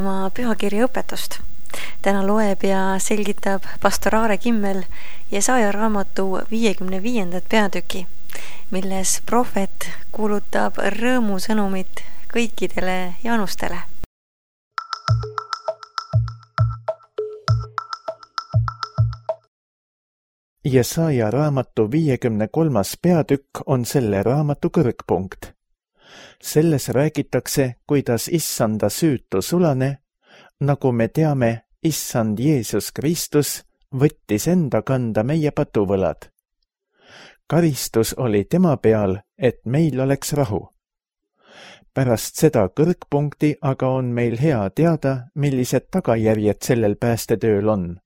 kuulama pühakirja õpetust. Täna loeb ja selgitab pastor Aare Kimmel Jesaja raamatu 55. peatüki, milles prohvet kuulutab rõõmusõnumit kõikidele jaanustele. Jesaja raamatu 53. peatükk on selle raamatu kõrgpunkt. Selles räägitakse, kuidas issanda süütu sulane, nagu me teame, issand Jeesus Kristus võttis enda kanda meie patuvõlad. Karistus oli tema peal, et meil oleks rahu. Pärast seda kõrgpunkti aga on meil hea teada, millised tagajärjed sellel päästetööl on.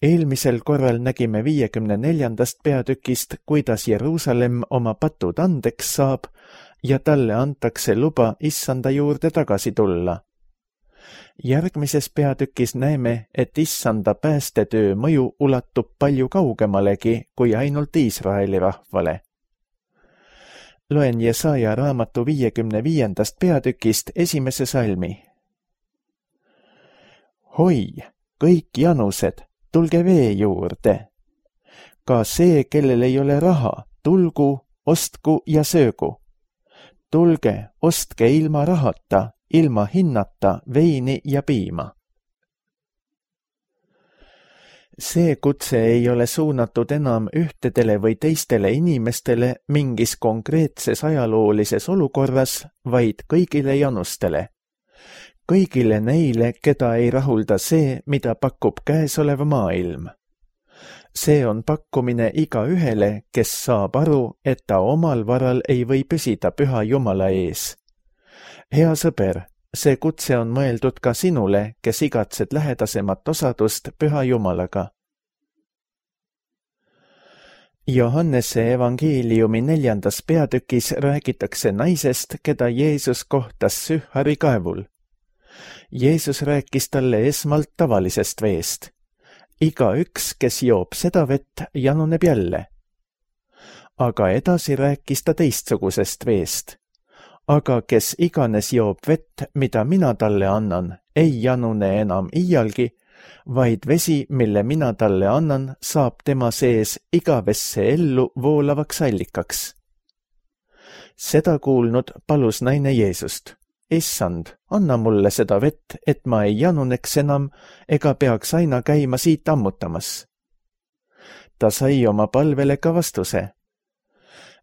Eelmisel korral nägime 54. peatükist, kuidas Jeruusalemm oma patud andeks saab ja talle antakse luba issanda juurde tagasi tulla. Järgmises peatükis näeme, et issanda päästetöö mõju ulatub palju kaugemalegi kui ainult Iisraeli rahvale. Loen Jesaja raamatu 55. peatükist esimese salmi. Hoi, kõik janused, tulge vee juurde. Ka see, kellel ei ole raha, tulgu, ostku ja söögu. Tulge, ostke ilma rahata, ilma hinnata veini ja piima. See kutse ei ole suunatud enam ühtedele või teistele inimestele mingis konkreetses ajaloolises olukorras, vaid kõigile janustele. Kõigile neile, keda ei rahulda see, mida pakub käesolev maailm. See on pakkumine igaühele, kes saab aru, et ta omal varal ei või püsida püha Jumala ees. Hea sõber, see kutse on mõeldud ka sinule, kes igatsed lähedasemat osadust püha Jumalaga. Johannese evangeeliumi 4. peatükis räägitakse naisest, keda Jeesus kohtas Sühari kaevul. Jeesus rääkis talle esmalt tavalisest veest. Igaüks, kes joob seda vett, januneb jälle. Aga edasi rääkis ta teistsugusest veest. Aga kes iganes joob vett, mida mina talle annan, ei janune enam iialgi, vaid vesi, mille mina talle annan, saab tema sees igavesse ellu voolavaks allikaks. Seda kuulnud palus naine Jeesust. Issand, anna mulle seda vett, et ma ei januneks enam ega peaks aina käima siit ammutamas. Ta sai oma palvele ka vastuse.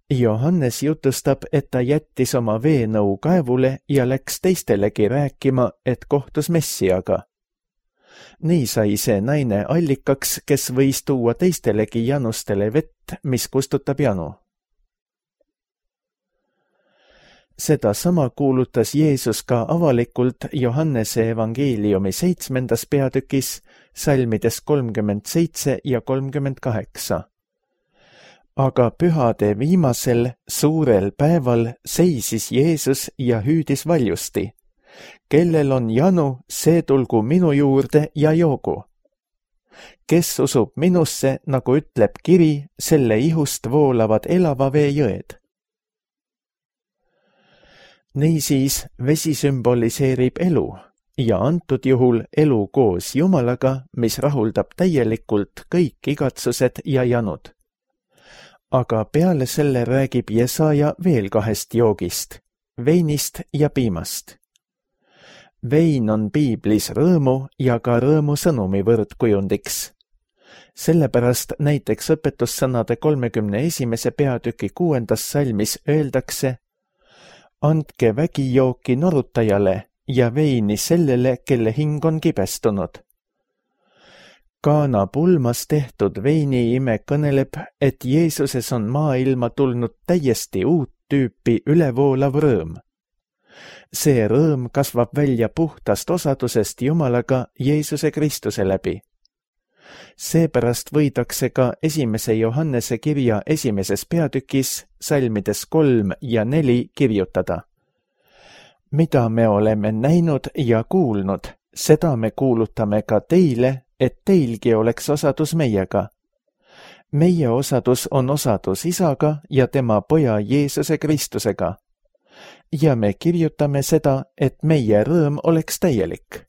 Johannes jutustab, et ta jättis oma veenõu kaevule ja läks teistelegi rääkima, et kohtus Messiaga. Nii sai see naine allikaks, kes võis tuua teistelegi janustele vett, mis kustutab janu. Seda sama kuulutas Jeesus ka avalikult Johannese evangeeliumi 7. peatükis, salmides 37 ja 38. Aga pühade viimasel suurel päeval seisis Jeesus ja hüüdis valjusti. Kellel on janu, see tulgu minu juurde ja joogu. Kes usub minusse, nagu ütleb kiri, selle ihust voolavad elava vee jõed. Niisiis vesi sümboliseerib elu ja antud juhul elu koos Jumalaga, mis rahuldab täielikult kõik igatsused ja janud. Aga peale selle räägib Jesaja veel 2 joogist, veinist ja piimast. Vein on piiblis rõõmu ja ka rõõmusõnumi võrdkujundiks. Sellepärast näiteks õpetussõnade 31. peatüki 6. salmis öeldakse: Andke vägijooki norutajale ja veini sellele, kelle hing on kibestunud. Kaana pulmas tehtud veiniime kõneleb, et Jeesuses on maailma tulnud täiesti uut tüüpi ülevoolav rõõm. See rõõm kasvab välja puhtast osadusest Jumalaga Jeesuse Kristuse läbi. Seepärast võidakse ka 1. Johannese kirja 1. peatükis salmides 3 ja 4 kirjutada. Mida me oleme näinud ja kuulnud, seda me kuulutame ka teile, et teilgi oleks osadus meiega. Meie osadus on osadus Isaga ja tema poja Jeesuse Kristusega. ja me kirjutame seda, et meie rõõm oleks täielik.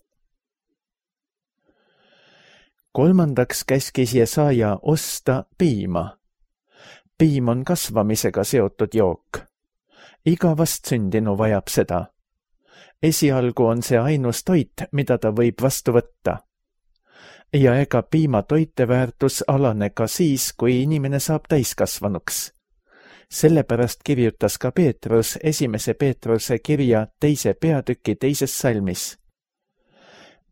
Kolmandaks käskis Jesaja osta piima. Piim on kasvamisega seotud jook. Iga vastsündinu vajab seda. Esialgu on see ainus toit, mida ta võib vastu võtta. Ja ega piima toiteväärtus alane ka siis, kui inimene saab täiskasvanuks. Sellepärast kirjutas ka Peetrus 1. Peetruse kirja 2. peatüki 2. salmis.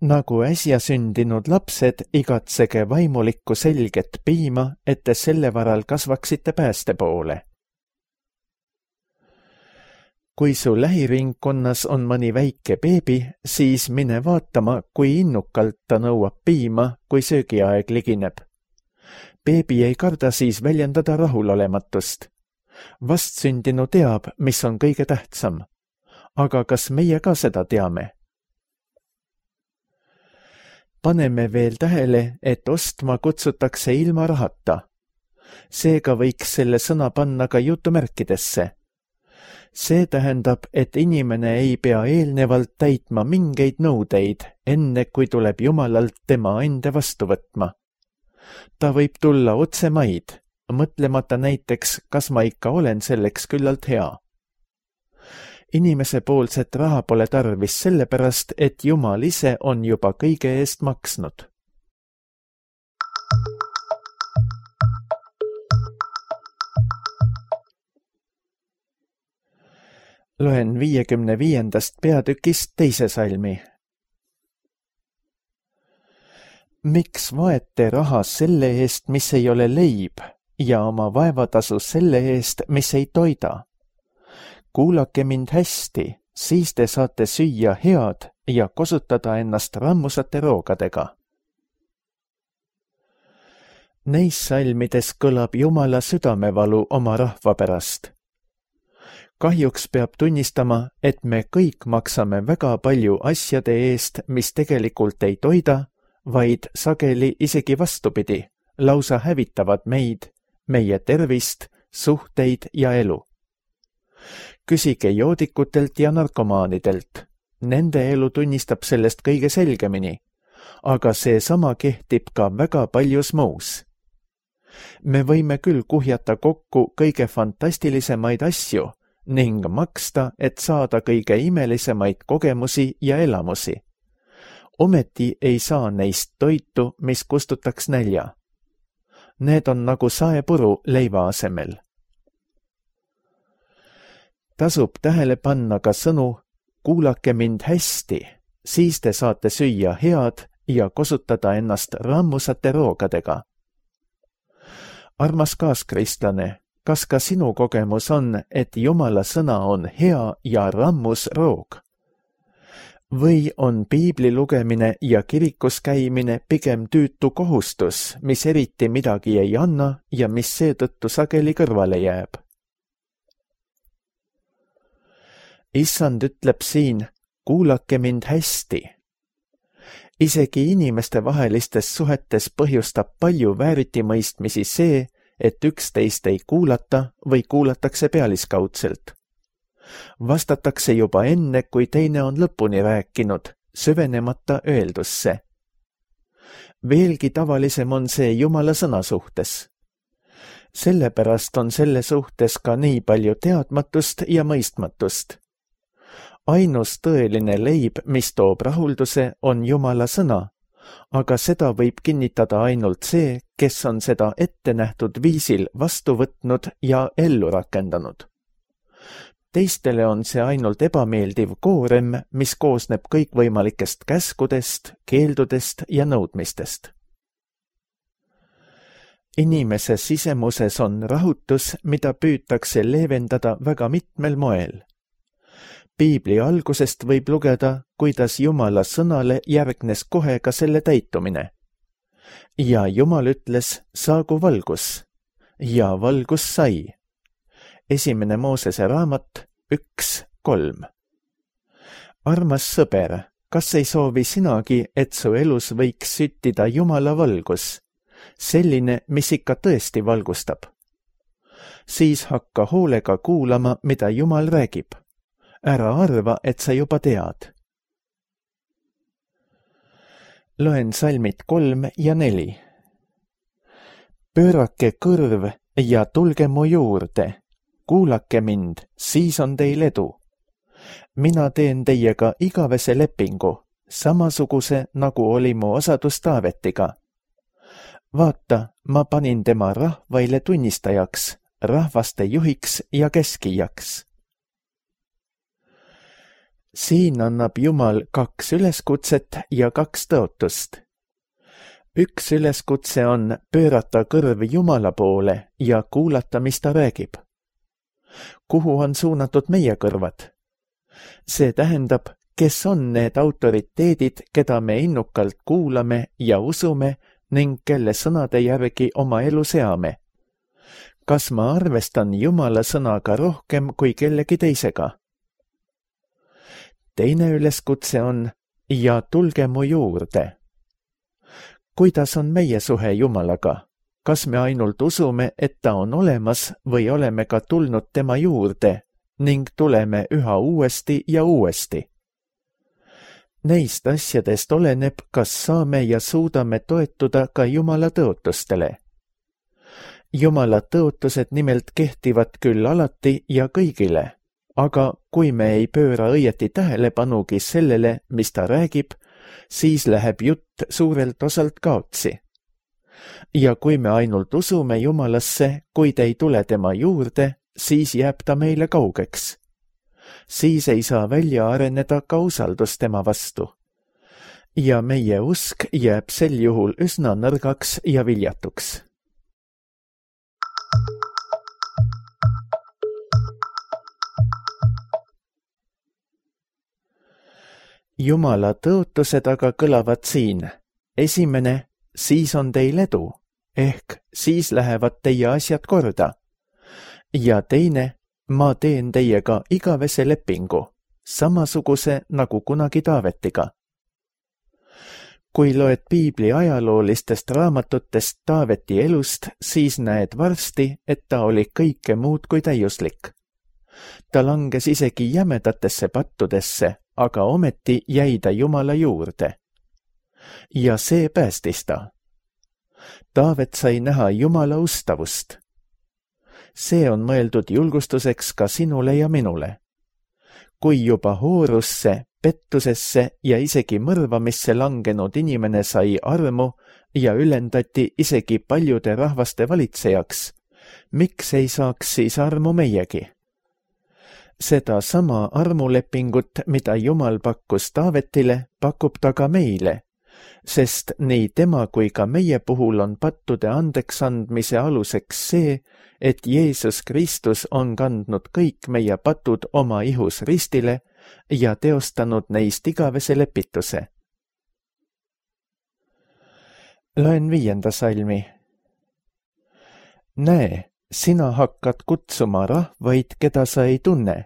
Nagu äsja sündinud lapsed, igatsege vaimulikku selget piima, et te selle varal kasvaksite pääste poole. Kui su lähiringkonnas on mõni väike beebi, siis mine vaatama, kui innukalt ta nõuab piima, kui söögiaeg ligineb. Beebi ei karda siis väljendada rahulolematust. Vastsündinu teab, mis on kõige tähtsam. Aga kas meie ka seda teame? Paneme veel tähele, et ostma kutsutakse ilma rahata. Seega võiks selle sõna panna ka jutumärkidesse. See tähendab, et inimene ei pea eelnevalt täitma mingeid nõudeid, enne kui tuleb Jumalalt tema ande vastu võtma. Ta võib tulla otse maid, mõtlemata näiteks, kas ma ikka olen selleks küllalt hea. Inimese poolset raha pole tarvis sellepärast, et Jumal ise on juba kõige eest maksnud. Loen 55. peatükist 2. salmi. Miks vaete raha selle eest, mis ei ole leib, ja oma vaevatasu selle eest, mis ei toida? Kuulake mind hästi, siis te saate süüa head ja kosutada ennast rammusate roogadega. Neis salmides kõlab Jumala südamevalu oma rahva pärast. Kahjuks peab tunnistama, et me kõik maksame väga palju asjade eest, mis tegelikult ei toida, vaid sageli isegi vastupidi, lausa hävitavad meid, meie tervist, suhteid ja elu. Küsige joodikutelt ja narkomaanidelt. Nende elu tunnistab sellest kõige selgemini, aga see sama kehtib ka väga paljus muus. Me võime küll kuhjata kokku kõige fantastilisemaid asju ning maksta, et saada kõige imelisemaid kogemusi ja elamusi. Ometi ei saa neist toitu, mis kustutaks nälja. Need on nagu saepuru leiva asemel. Tasub tähele panna ka sõnu, kuulake mind hästi, siis te saate süüa head ja kosutada ennast rammusate roogadega. Armas kaaskristlane, kas ka sinu kogemus on, et Jumala sõna on hea ja rammus roog? Või on piibli lugemine ja kirikus käimine pigem tüütu kohustus, mis eriti midagi ei anna ja mis seetõttu sageli kõrvale jääb? Issand ütleb siin, kuulake mind hästi. Isegi inimeste vahelistes suhetes põhjustab palju vääritimõistmisi see, et üksteist ei kuulata või kuulatakse pealiskaudselt. Vastatakse juba enne, kui teine on lõpuni rääkinud, süvenemata öeldusse. Veelgi tavalisem on see Jumala sõna suhtes. Sellepärast on selle suhtes ka nii palju teadmatust ja mõistmatust. Ainus tõeline leib, mis toob rahulduse, on Jumala sõna, aga seda võib kinnitada ainult see, kes on seda ettenähtud viisil vastu võtnud ja ellu rakendanud. Teistele on see ainult ebameeldiv koorem, mis koosneb kõikvõimalikest käskudest, keeldudest ja nõudmistest. Inimese sisemuses on rahutus, mida püütakse leevendada väga mitmel moel. Piibli algusest võib lugeda, kuidas Jumala sõnale järgnes kohe ka selle täitumine. Ja Jumal ütles, saagu valgus. Ja valgus sai. 1. Moosese raamat 1:3. Armas sõber, kas ei soovi sinagi, et su elus võiks süttida Jumala valgus, selline, mis ikka tõesti valgustab? Siis hakka hoolega kuulama, mida Jumal räägib. Ära arva, et sa juba tead. Loen salmid 3 ja 4. Pöörake kõrv ja tulge mu juurde. Kuulake mind, siis on teil edu. Mina teen teiega igavese lepingu, samasuguse nagu oli mu osadus Taavetiga. Vaata, ma panin tema rahvaile tunnistajaks, rahvaste juhiks ja keskijaks. Siin annab Jumal 2 üleskutset ja 2 tõotust. Üks üleskutse on pöörata kõrv Jumala poole ja kuulata, mis ta räägib. Kuhu on suunatud meie kõrvad? See tähendab, kes on need autoriteedid, keda me innukalt kuulame ja usume ning kelle sõnade järgi oma elu seame. Kas ma arvestan Jumala sõnaga rohkem kui kellegi teisega? Teine üleskutse on ja tulge mu juurde. Kuidas on meie suhe Jumalaga? Kas me ainult usume, et ta on olemas või oleme ka tulnud tema juurde ning tuleme üha uuesti ja uuesti? Neist asjadest oleneb, kas saame ja suudame toetuda ka Jumala tõotustele. Jumala tõotused nimelt kehtivad küll alati ja kõigile, aga kui me ei pööra õieti tähelepanugi sellele, mis ta räägib, siis läheb jutt suurelt osalt kaotsi. Ja kui me ainult usume Jumalasse, kuid ei tule tema juurde, siis jääb ta meile kaugeks. Siis ei saa välja areneda ka usaldus tema vastu. Ja meie usk jääb sel juhul üsna nõrgaks ja viljatuks. Jumala tõotused aga kõlavad siin. Esimene, siis on teil edu, ehk siis lähevad teie asjad korda. Ja teine, ma teen teiega igavese lepingu, samasuguse nagu kunagi Taavetiga. Kui loed Piibli ajaloolistest raamatutest Taaveti elust, siis näed varsti, et ta oli kõike muud kui täiuslik. Ta langes isegi jämedatesse pattudesse, aga ometi jäi ta Jumala juurde. Ja see päästis ta. Taavet sai näha Jumala ustavust. See on mõeldud julgustuseks ka sinule ja minule. Kui juba hoorusse, pettusesse ja isegi mõrvamisse langenud inimene sai armu ja ülendati isegi paljude rahvaste valitsejaks, miks ei saaks siis armu meiegi? Seda sama armulepingut, mida Jumal pakkus Taavetile, pakub ta ka meile, sest nii tema kui ka meie puhul on pattude andeksandmise aluseks see, et Jeesus Kristus on kandnud kõik meie patud oma ihus ristile ja teostanud neist igavese lepituse. Loen 5. salmi. Näe, sina hakkad kutsuma rahvaid, keda sa ei tunne,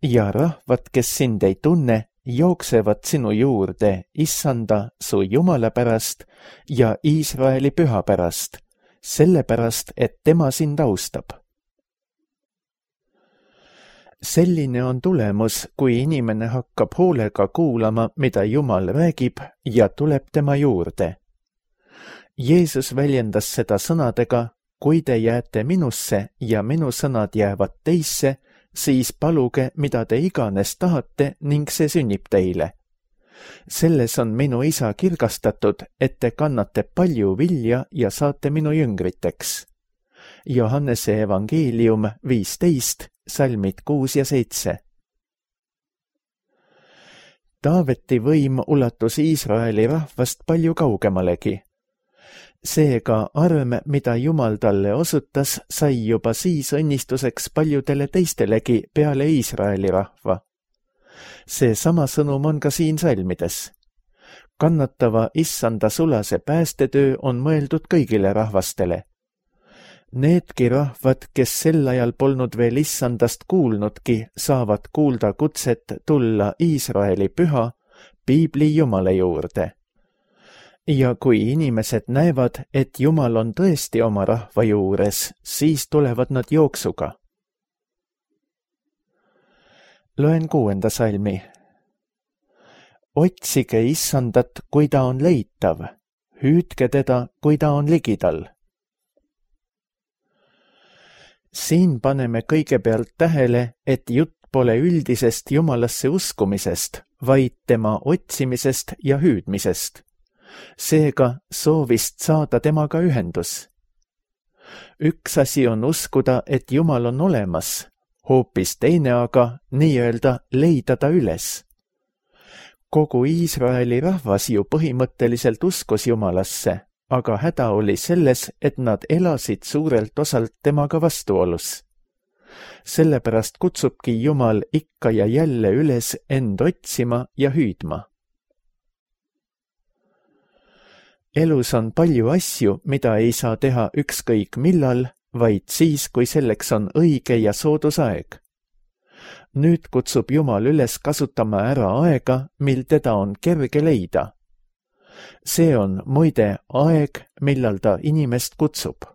ja rahvad, kes sind ei tunne, jooksevad sinu juurde, Issanda, su Jumala pärast ja Iisraeli püha pärast, sellepärast, et tema sind austab. Selline on tulemus, kui inimene hakkab hoolega kuulama, mida Jumal räägib ja tuleb tema juurde. Jeesus väljendas seda sõnadega, kui te jääte minusse ja minu sõnad jäävad teisse, siis paluge, mida te iganes tahate ning see sünnib teile. Selles on minu isa kirgastatud, et te kannate palju vilja ja saate minu jüngriteks. Johannese evangeelium 15, salmid 6 ja 7. Taaveti võim ulatus Iisraeli rahvast palju kaugemalegi. Seega arm, mida Jumal talle osutas, sai juba siis õnnistuseks paljudele teistelegi peale Iisraeli rahva. See sama sõnum on ka siin salmides. Kannatava Issanda sulase päästetöö on mõeldud kõigile rahvastele. Needki rahvad, kes sel ajal polnud veel Issandast kuulnudki, saavad kuulda kutset tulla Iisraeli püha, Piibli Jumala juurde. Ja kui inimesed näevad, et Jumal on tõesti oma rahva juures, siis tulevad nad jooksuga. Loen 6. salmi. Otsige Issandat, kui ta on leitav, hüüdke teda, kui ta on ligidal. Siin paneme kõigepealt tähele, et jutt pole üldisest Jumalasse uskumisest, vaid tema otsimisest ja hüüdmisest. Seega soovist saada temaga ühendus. Üks asi on uskuda, et Jumal on olemas, hoopis teine aga nii-öelda leida ta üles. Kogu Iisraeli rahvas ju põhimõtteliselt uskus Jumalasse, aga häda oli selles, et nad elasid suurelt osalt temaga vastuolus. Sellepärast kutsubki Jumal ikka ja jälle üles end otsima ja hüüdma. Elus on palju asju, mida ei saa teha ükskõik millal, vaid siis, kui selleks on õige ja soodus aeg. Nüüd kutsub Jumal üles kasutama ära aega, mil teda on kerge leida. See on muide aeg, millal ta inimest kutsub.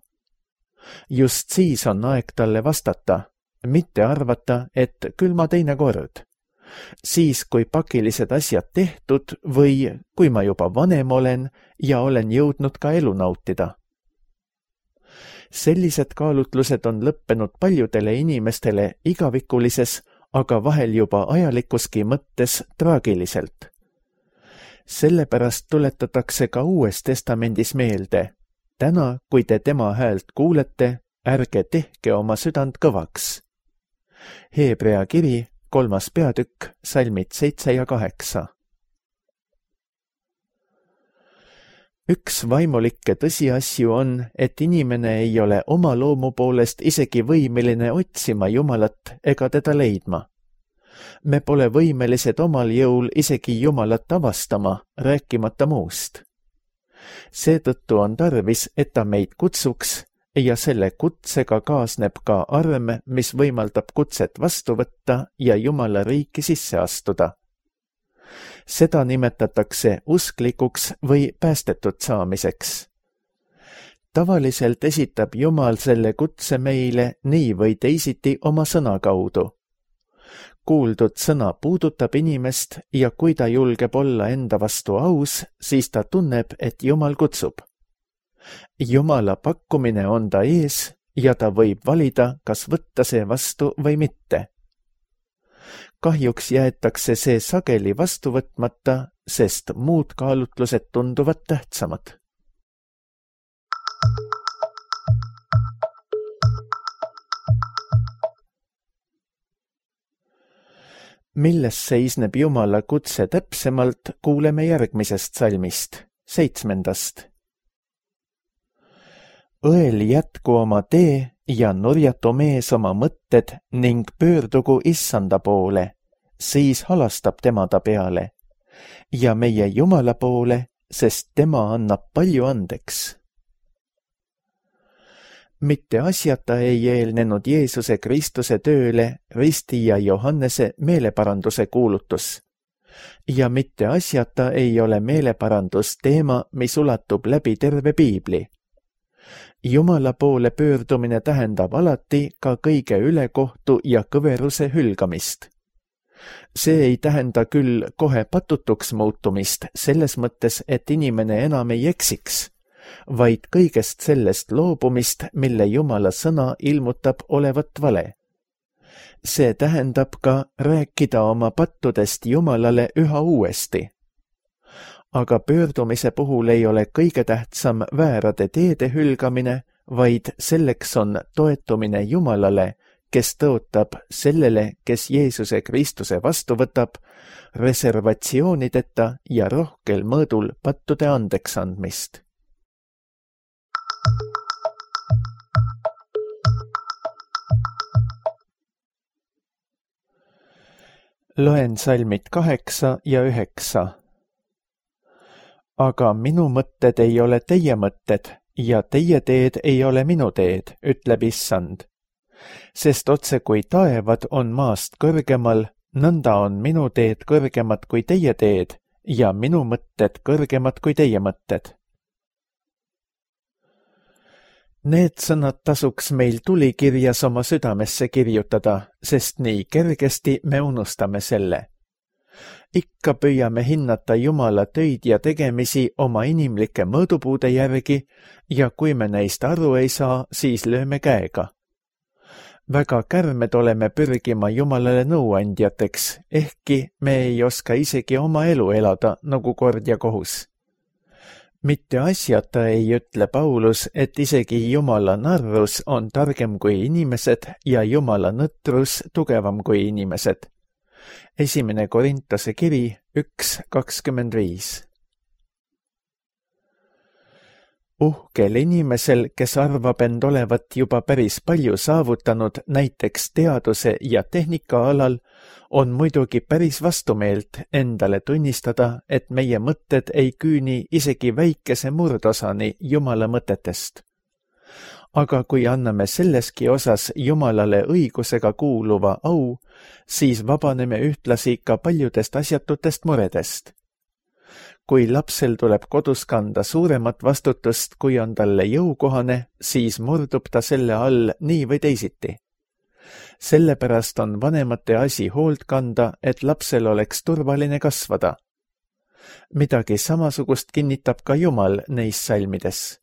Just siis on aeg talle vastata, mitte arvata, et küll ma teine kord. Siis, kui pakilised asjad tehtud või kui ma juba vanem olen ja olen jõudnud ka elu nautida. Sellised kaalutlused on lõppenud paljudele inimestele igavikulises, aga vahel juba ajalikuski mõttes traagiliselt. Sellepärast tuletatakse ka Uues Testamendis meelde. Täna, kui te tema häält kuulete, ärge tehke oma südant kõvaks. Hebrea kiri, 3. peatükk, salmid 7 ja 8. Üks vaimulikke tõsiasju on, et inimene ei ole oma loomu poolest isegi võimeline otsima Jumalat ega teda leidma. Me pole võimelised omal jõul isegi Jumalat avastama, rääkimata muust. Seetõttu on tarvis, et ta meid kutsuks ja selle kutsega kaasneb ka arm, mis võimaldab kutset vastu võtta ja Jumala riiki sisse astuda. Seda nimetatakse usklikuks või päästetud saamiseks. Tavaliselt esitab Jumal selle kutse meile nii või teisiti oma sõna kaudu. Kuuldud sõna puudutab inimest ja kui ta julgeb olla enda vastu aus, siis ta tunneb, et Jumal kutsub. Jumala pakkumine on ta ees ja ta võib valida, kas võtta see vastu või mitte. Kahjuks jäetakse see sageli vastu võtmata, sest muud kaalutlused tunduvad tähtsamad. Milles seisneb Jumala kutse täpsemalt, kuuleme järgmisest salmist, 7. Õel jätku oma tee ja nurjatu mees oma mõtted ning pöördugu Issanda poole, siis halastab tema ta peale. Ja meie Jumala poole, sest tema annab palju andeks. Mitte asjata ei eelnenud Jeesuse Kristuse tööle Risti ja Johannese meeleparanduse kuulutus. Ja mitte asjata ei ole meeleparandus teema, mis ulatub läbi terve piibli. Jumala poole pöördumine tähendab alati ka kõige ülekohtu ja kõveruse hülgamist. See ei tähenda küll kohe patutuks muutumist selles mõttes, et inimene enam ei eksiks, vaid kõigest sellest loobumist, mille Jumala sõna ilmutab olevat vale. See tähendab ka rääkida oma pattudest Jumalale üha uuesti. Aga pöördumise puhul ei ole kõige tähtsam väärade teede hülgamine, vaid selleks on toetumine Jumalale, kes tõotab sellele, kes Jeesuse Kristuse vastu võtab, reservatsioonideta ja rohkel mõõdul pattude andeks andmist. Loen salmid 8 ja 9. Aga minu mõtted ei ole teie mõtted ja teie teed ei ole minu teed, ütleb Issand. Sest otse kui taevad on maast kõrgemal, nõnda on minu teed kõrgemad kui teie teed ja minu mõtted kõrgemad kui teie mõtted. Need sõnad tasuks meil tulikirjas oma südamesse kirjutada, sest nii kergesti me unustame selle. Ikka püüame hinnata Jumala töid ja tegemisi oma inimlike mõõdupuude järgi ja kui me neist aru ei saa, siis lööme käega. Väga kärmed oleme pürgima Jumalale nõuandjateks, ehkki me ei oska isegi oma elu elada nagu kord ja kohus. Mitte asjata ei ütle Paulus, et isegi Jumala narrus on targem kui inimesed ja Jumala nõtrus tugevam kui inimesed. 1. Korintuse kiri 1:25. Uhkel inimesel, kes arvab end olevat juba päris palju saavutanud näiteks teaduse ja tehnika alal, on muidugi päris vastumeelt endale tunnistada, et meie mõtted ei küüni isegi väikese murdosani Jumala mõtetest. Aga kui anname selleski osas Jumalale õigusega kuuluva au, siis vabaneme ühtlasi ka paljudest asjatutest muredest. Kui lapsel tuleb kodus kanda suuremat vastutust, kui on talle jõukohane, siis murdub ta selle all nii või teisiti. Sellepärast on vanemate asi hoolt kanda, et lapsel oleks turvaline kasvada. Midagi samasugust kinnitab ka Jumal neis salmides.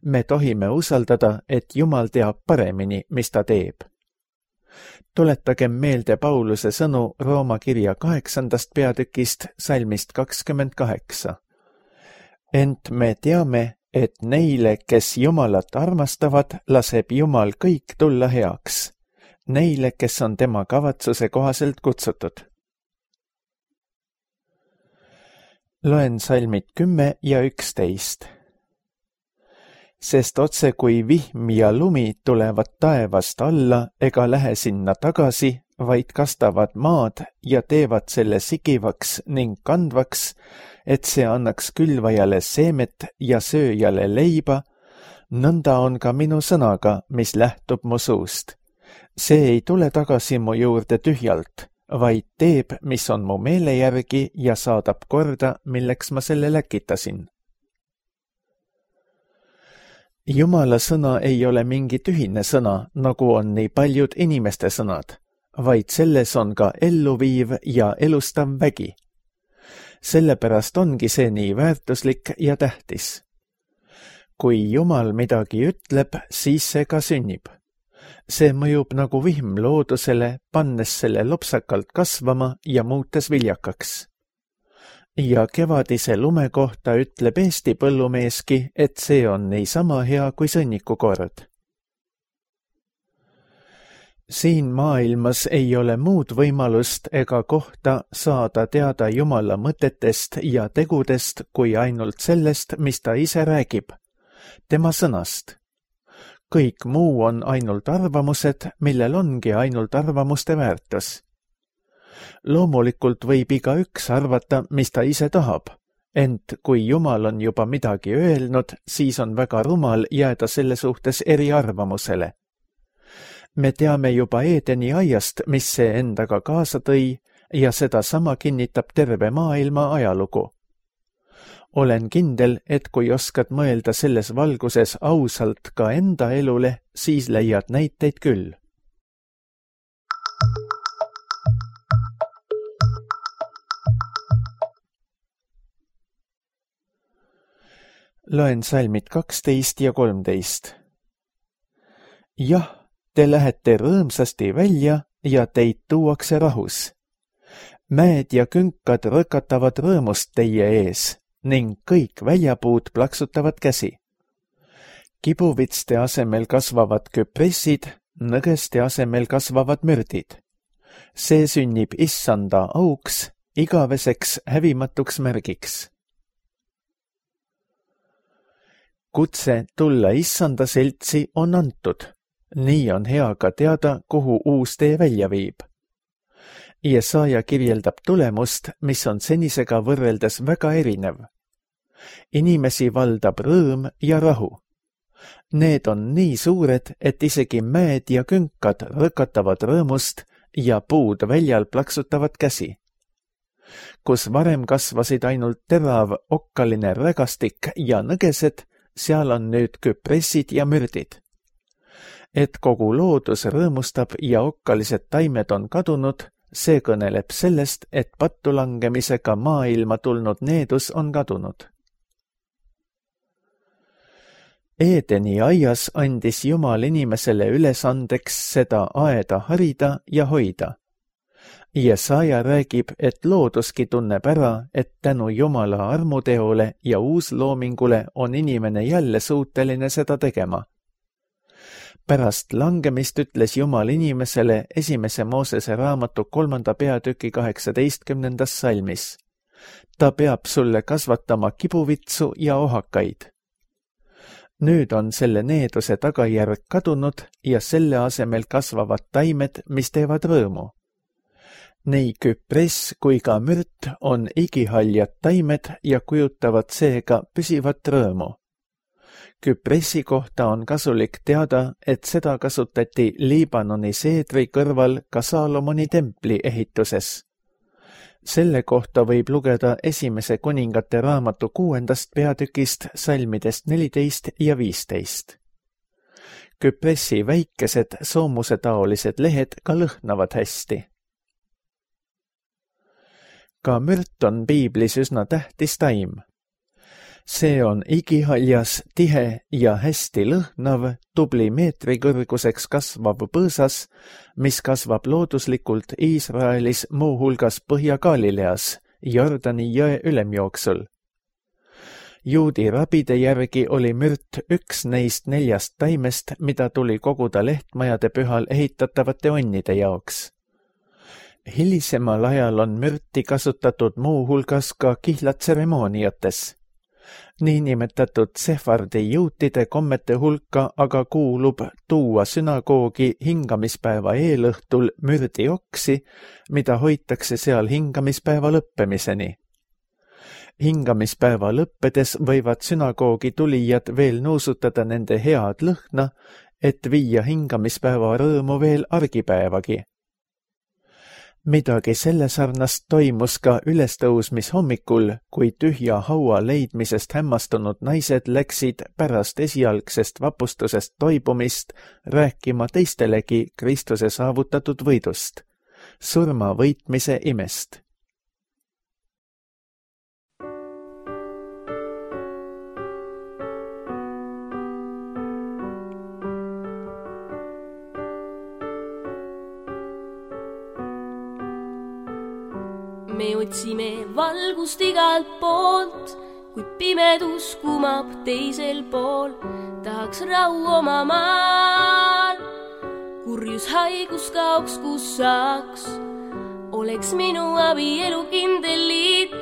Me tohime usaldada, et Jumal teab paremini, mis ta teeb. Tuletagem meelde Pauluse sõnu Rooma kirja 8. peatükist salmist 28. Ent me teame, et neile, kes Jumalat armastavad, laseb Jumal kõik tulla heaks. Neile, kes on tema kavatsuse kohaselt kutsutud. Loen salmid 10 ja 11. Sest otse kui vihm ja lumi tulevad taevast alla ega lähe sinna tagasi, vaid kastavad maad ja teevad selle sigivaks ning kandvaks, et see annaks külvajale seemet ja sööjale leiba, nõnda on ka minu sõnaga, mis lähtub mu suust. See ei tule tagasi mu juurde tühjalt, vaid teeb, mis on mu meele järgi ja saadab korda, milleks ma selle läkitasin. Jumala sõna ei ole mingi tühine sõna, nagu on nii paljud inimeste sõnad, vaid selles on ka elluviiv ja elustav vägi. Sellepärast ongi see nii väärtuslik ja tähtis. Kui Jumal midagi ütleb, siis see ka sünnib. See mõjub nagu vihm loodusele, pannes selle lopsakalt kasvama ja muutes viljakaks. Ja kevadise lume kohta ütleb Eesti põllumeeski, et see on niisama hea kui sõnnikukord. Siin maailmas ei ole muud võimalust ega kohta saada teada Jumala mõtetest ja tegudest kui ainult sellest, mis ta ise räägib, tema sõnast. Kõik muu on ainult arvamused, millel ongi ainult arvamuste väärtus. Loomulikult võib igaüks arvata, mis ta ise tahab, ent kui Jumal on juba midagi öelnud, siis on väga rumal jääda selle suhtes eriarvamusele. Me teame juba Eedeni aiast, mis see endaga kaasa tõi, ja seda sama kinnitab terve maailma ajalugu. Olen kindel, et kui oskad mõelda selles valguses ausalt ka enda elule, siis leiad näiteid küll. Loen salmid 12 ja 13. Jah, te lähete rõõmsasti välja ja teid tuuakse rahus. Mäed ja künkad rõkatavad rõõmust teie ees ning kõik väljapuud plaksutavad käsi. Kibuvitste asemel kasvavad küpressid, nõgeste asemel kasvavad mürdid. See sünnib issanda auks, igaveseks hävimatuks märgiks. Kutse tulla issanda seltsi on antud. Nii on hea ka teada, kuhu uus tee välja viib. Jesaja kirjeldab tulemust, mis on senisega võrreldes väga erinev. Inimesi valdab rõõm ja rahu. Need on nii suured, et isegi mäed ja künkad rõkatavad rõõmust ja puud väljal plaksutavad käsi. Kus varem kasvasid ainult terav okkaline rägastik ja nõgesed, seal on nüüd küpressid ja mürdid. Et kogu loodus rõõmustab ja okkalised taimed on kadunud, see kõneleb sellest, et pattulangemisega maailma tulnud needus on kadunud. Eedeni aias andis Jumal inimesele ülesandeks seda aeda harida ja hoida. Jesaja räägib, et looduski tunneb ära, et tänu Jumala armuteole ja uusloomingule on inimene jälle suuteline seda tegema. Pärast langemist ütles Jumal inimesele 1. Moosese raamatu 3. peatüki 18. salmis. Ta peab sulle kasvatama kibuvitsu ja ohakaid. Nüüd on selle needuse tagajärg kadunud ja selle asemel kasvavad taimed, mis teevad rõõmu. Nii küpress kui ka mürt on igihaljad taimed ja kujutavad seega püsivat rõõmu. Küpressi kohta on kasulik teada, et seda kasutati Liibanoni seedri kõrval ka Saalomoni templi ehituses. Selle kohta võib lugeda 1. kuningate raamatu 6. peatükist salmidest 14 ja 15. Küpressi väikesed soomusetaolised lehed ka lõhnavad hästi. Ka mürt on piiblis üsna tähtis taim. See on igihaljas, tihe ja hästi lõhnav, tubli meetri kõrguseks kasvav põõsas, mis kasvab looduslikult Iisraelis muuhulgas Põhja-Galileas, Jordani jõe ülemjooksul. Juudi rabide järgi oli mürt üks neist 4 taimest, mida tuli koguda lehtmajade pühal ehitatavate onnide jaoks. Hilisemal ajal on mürti kasutatud muuhulgas ka kihlatseremooniates. Niinimetatud sefardi juutide kommete hulka aga kuulub tuua sünagoogi hingamispäeva eelõhtul mürdioksi, mida hoitakse seal hingamispäeva lõppemiseni. Hingamispäeva lõppedes võivad sünagoogi tulijad veel nuusutada nende head lõhna, et viia hingamispäeva rõõmu veel argipäevagi. Midagi selle sarnast toimus ka ülestõusmishommikul, kui tühja haua leidmisest hämmastunud naised läksid pärast esialgsest vapustusest toibumist rääkima teistelegi Kristuse saavutatud võidust, surma võitmise imest. Me otsime valgust igalt poolt, kuid pimedus kumab teisel pool. Tahaks rahu oma maal, kurjus haigus kaoks, kus saaks. Oleks minu abielu kindel liit,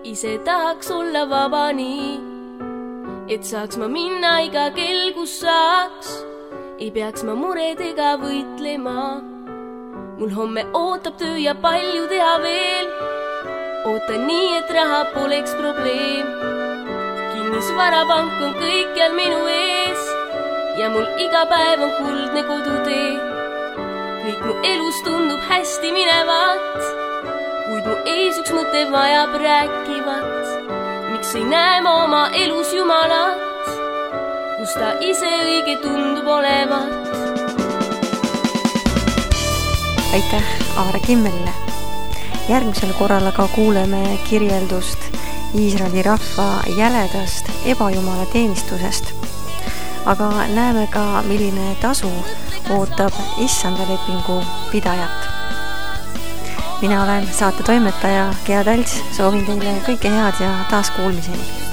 ise tahaks olla vaba nii, et saaks ma minna iga kell, kus saaks. Ei peaks ma muredega võitlema. Mul homme ootab töö ja palju teha veel. Ootan nii, et raha poleks probleem. Kinnisvarapank on kõikjal minu ees ja mul iga päev on kuldne kodutee. Kõik mu elus tundub hästi minevat, kuid mu ees üks mõte vajab rääkivat. Miks ei näe ma oma elus Jumalat, kus ta ise õige tundub olevat? Aitäh Aare Kimmelile. Järgmisel korral aga kuuleme kirjeldust Iisraeli rahva jäledast ebajumala teenistusest. Aga näeme ka, milline tasu ootab issanda lepingu pidajat. Mina olen saate toimetaja Gea Talts, soovin teile kõike head ja taas kuulmiseni.